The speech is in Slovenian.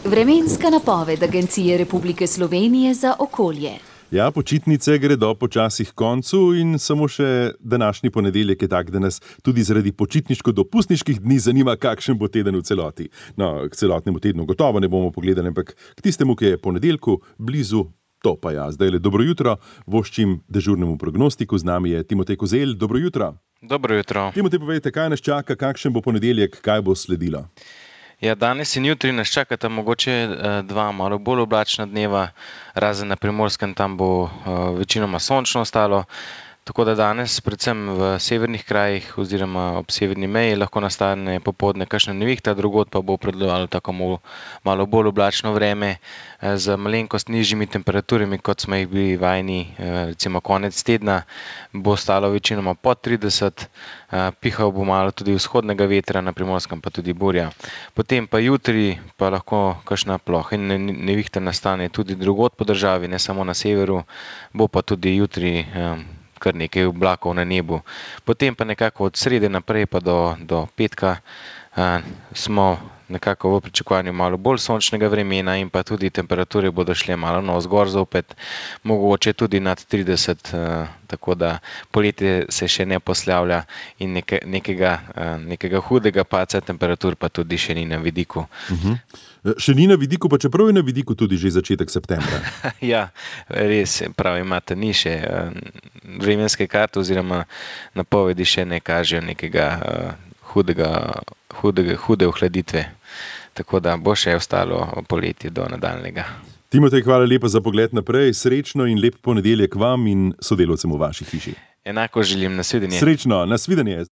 Vremenska napoved Agencije Republike Slovenije za okolje. Ja, počitnice gredo počasi k koncu in samo še današnji ponedeljek je tak, da nas tudi zaradi počitniško-dopustniških dni zanima, kakšen bo teden v celoti. No, k celotnemu tednu gotovo ne bomo pogledali, ampak k tistemu, ki je ponedeljku blizu, to pa ja. Zdaj le dobro jutro, voščim dežurnemu prognostiku, z nami je Timotej Kozelj. Dobro jutro. Dobro jutro. Timotej, povejte, kaj nas čaka, kakšen bo ponedeljek, kaj bo sledilo? Ja, danes in jutri nas čakata mogoče dva malo bolj oblačna dneva, razen na Primorskem, tam bo večinoma sončno ostalo. Tako da danes, predvsem v severnih krajih oziroma ob severni meji, lahko nastane popoldne kakšna nevihta, drugod pa bo predlovalo tako malo bolj oblačno vreme z malenkost nižjimi temperaturami, kot smo jih bili vajeni, recimo konec tedna, bo stalo večinoma pod 30, pihal bo malo tudi vzhodnega vetra, na Primorskem pa tudi burja. Potem pa jutri pa lahko kakšna ploha in nevihta nastane tudi drugod po državi, ne samo na severu, bo pa tudi jutri kar nekaj oblakov na nebu. Potem pa nekako od srede naprej pa do petka smo nekako v pričakovanju malo bolj sončnega vremena in pa tudi temperature bodo šle malo navzgor zopet, mogoče tudi nad 30, tako da poletje se še ne poslavlja in nekega hudega padca temperatur pa tudi še ni na vidiku. Še ni na vidiku, pa čeprav je na vidiku tudi že začetek septembra. Ja, res, prav imate, ni še vremenske karte oziroma napovedi še ne kažejo nekega hude ohladitve. Tako da bo še ostalo poletje do nadaljnega. Timotej, hvala lepa za pogled naprej. Srečno in lep ponedeljek vam in sodelavcem v vaši hiši. Enako želim, nasvidenje. Srečno, nasvidenje.